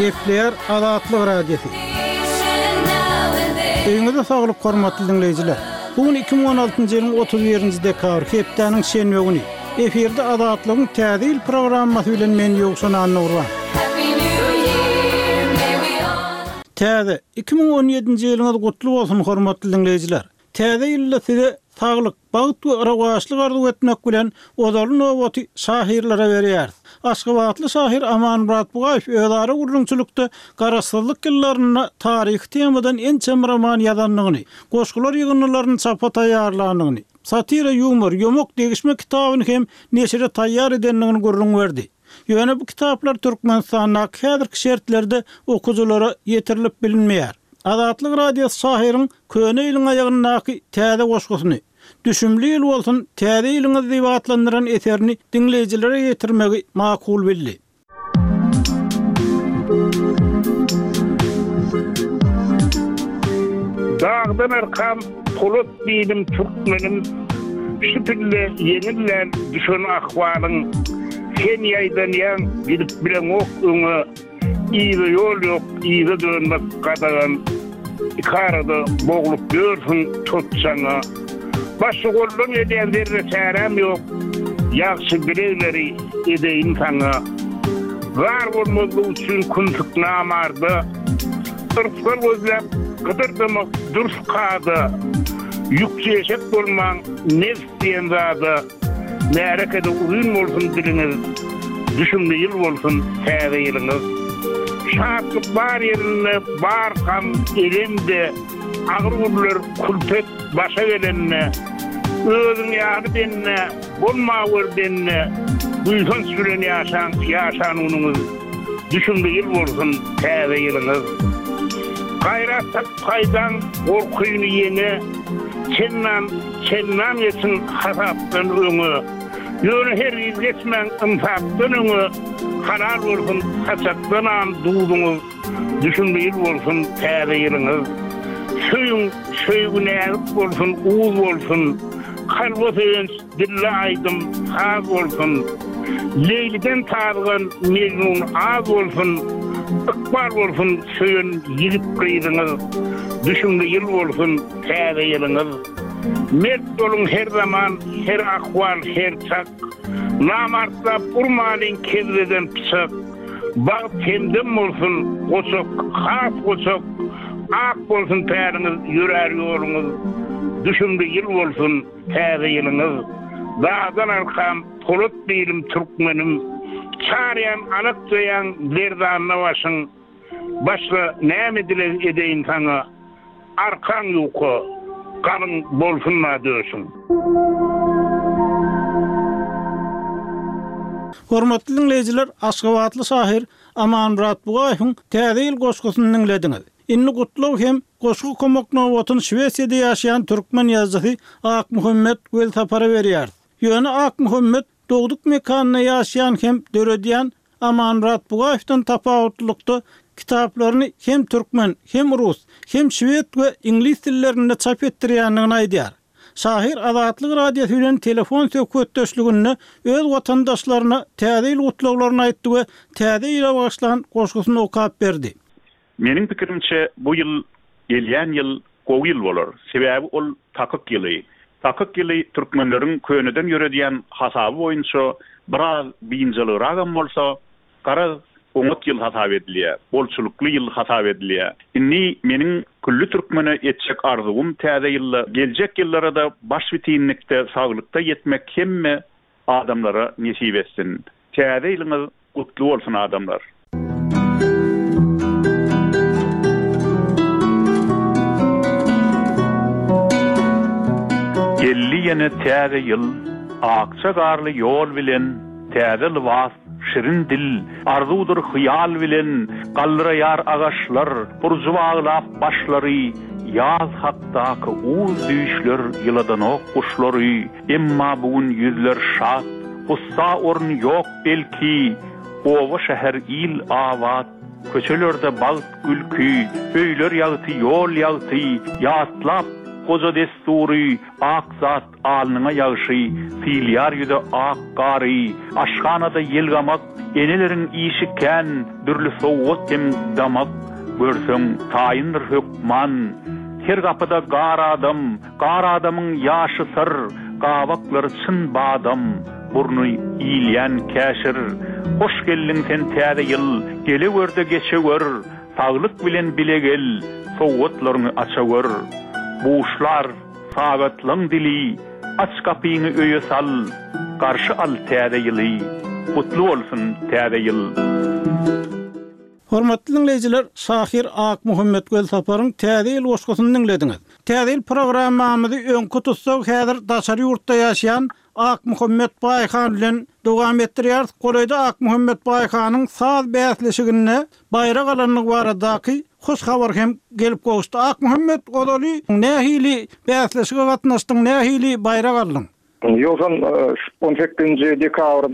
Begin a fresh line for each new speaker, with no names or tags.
Gepleýär Azatlyk Radiosy. Öýüňize saglyk hormatly diňleýjiler. Bu gün 2016-njy ýylyň 31-nji dekabry, hepdäniň şenbe güni. Efirde Azatlygyň Täze ýyl programmasy bilen men Ýowşan Annagurban. Täze, 2017-nji ýylyňyz gutly bolsun hormatly diňleýjiler. Täze ýylda size saglyk, bagt we rowaçlyk arzuw etmek bilen, ozaly nobaty şahyrlara berýäris. Aşgabatly şahyr Amanmyrat Bugaýew özara gürrüňçilikde Garaşsyzlyk ýyllarynda taryhy temadan ençeme roman ýazandygyny, goşgular ýygyndylaryny çapa taýýarlandygyny, satira-ýumor, ýomak degişme kitabyny hem neşire taýýar edendigini gürrüň berdi. Ýöne bu kitaplar Türkmenistandaky häzirki şertlerde okyjylara ýetirilip bilinmeýär. Azatlyk Radiosy şahyryň Köne ýylyň aýagyndaky täze goşgusyny, Düşümli ýyl bolsun, täze ýylyňyz diýip atlandyran eserini diňleýjilere ýetirmegi makul bildi.
Dagdan arkam polat diýdim türkmenim, Şu pille ýeňil däl düşen ahwalyň. Sen ýaýdanýaň gidip bileňok öňe, Yza ýol ýok, yza dönmek gadagan. Ikarada boglup ýörsüň tot çaňa. Başga goldan gelýän zerre çäräm ýok, Ýagşy dilegleri edeýin saňa. Zar bolmazlyk üçin kümsük namarda, Yrsgal gözläp gydyrdamak dürs kada. Ýükçi eşek bolmaň nebs diýen zada. Märekede uzyn bolsun diliňiz, Düşümli ýyl bolsun täze ýylyňyz. Şatlyk bar ýerinde bar gam elem-de, Agyr günler külpet başa gelende, Özüň ýaly bende bolmawer bende, Buýsanç bilen ýaşaň ýaşan günüňiz, Düşümli ýyl bolsun täze ýylyňyz. Gaýrat tapyp haýdaň gorkyny ýeňe, Çendan Çendan geçiň hasapdan öňe, Ýöne hergiz geçmäň ynsapdan öňe, Halal bolsun saçakdanam duzuňyz, Düşümli ýyl bolsun täze ýylyňyz. Söýüň, söýgi näzik bolsun, uz bolsun, Kalba söýenç, dille aýdym, saz bolsun. Leýliden tazygan Mejnun az bolsun, Ykbal bolsun söýen ýigit-gyzyňyz, Düşümli ýyl bolsun täze ýylyňyz. Mert boluň her zaman, her ahwal, her çak, Namartlap urmalyň kebzeden pyçak, Bagt hemdem bolsun, goçak, has goçak, Ak bolsun päliňiz, ýörär ýoluňyz, Düşümli ýyl bolsun täze ýylyňyz. Dagdan arkam, polat bilim türkmenim, Çarýan alakjaýaň lerzanda başyň, Başga näme dileg edeýin saňa, Arkaň ýuka, galyň bolsun-da döşüň.
Hormatly diňleýjiler, aşgabatly şahyr Amanmyrat Bugaýewiň Täze ýyl goşgusyny diňlediňiz. Indi gutlag hem goşgy okamak nobatyny Şwesiýada ýaşaýan türkmen ýazyjysy Akmuhammet Welsapara berýäris. Ýöne Akmuhammet Dogduk mekanynda ýaşaýan hem döredýän Amanmyrat Bugaýewden tapawutlylykda kitaplaryny hem türkmen, hem rus, hem şwed we iňlis dillerinde çap etdirýändigini aýdýar. Şahyr Azatlyk Radiosy bilen telefon söhbetdeşliginde öz watandaşlaryna Täze ýyl gutlaglaryny aýtdy we Täze ýyla bagyşlan goşgusyny okap berdi.
Meniň pikirimçe, bu ýyl, gelýän ýyl gowy ýyl bolar. Sebäbi ol takyk ýyly. Takyk ýyly türkmenleriň köneden ýöredýän hasaby boýunça biraz biynjalygragam bolsa, garaz, oňat ýyl hasap edilýär, bolçulykly ýyl hasap edilýär. Indi meniň külli türkmene etjek arzuwym täze ýylda, geljek ýyllara-da başbitinlikde, saglykda ýetmek hemme adamlara nesip etsin. Täze ýylyňyz gutly bolsun adamlar. Geldi ýene täze ýyl, akja garly ýol bilen, Täze lybas, şirin dil, arzuwdyr hyýal bilen, Galdyraýar agaçlar, burjy baglap başlary, Ýaz hakdaky uz düýşler ýyladanok guşlary. Emma bu gün ýüzler şat, gussa orun ýok belki, Oba-şäher il abat, köçelerde bagt gülki, Öýler ýagty, ýol ýagty, ýatlap. goja dessury, Ak zat alnyňa ýagşy, Sylýar ýüze ak gary. Aşhanada ýelgamak, Eneleriň işi kän, Dürli sowgat hem damak, Görseň, taýyndyr hökman. Her gapyda gar adam, Gar adamyň ýaşy syr, Gabaklary çyn badam, Burny iýilýän käşir. Hoş geldiň sen täze ýyl, Gelewerde geçewür, Saglyk bilen bile gel, Sowgatlaryňy açawür. Buşlar, sagatlaň dili, Aç gapyňy öýe sal, Garşy al täze ýyly, Gutly bolsun täze ýyl!
Hormatly diňleýjiler, şahyr Akmuhammet Welsaparyň Täze ýyl goşgusyny diňlediňiz. Täze ýyl programmamyzy öňki tussag häzir daşary ýurtda ýaşaýan Akmuhammet Baýhan bilen dowam etdirýäris. Golaýda Akmuhammet Baýhanyň saz bäsleşiginde baýrak alandygy baradaky hoş habar hem gelip gowuşdy. Akmuhammet, ozaly nähili bäsleşige gatnaşdyň, nähili baýrak aldyň?
Ýogsam on sekizinji dekabrda.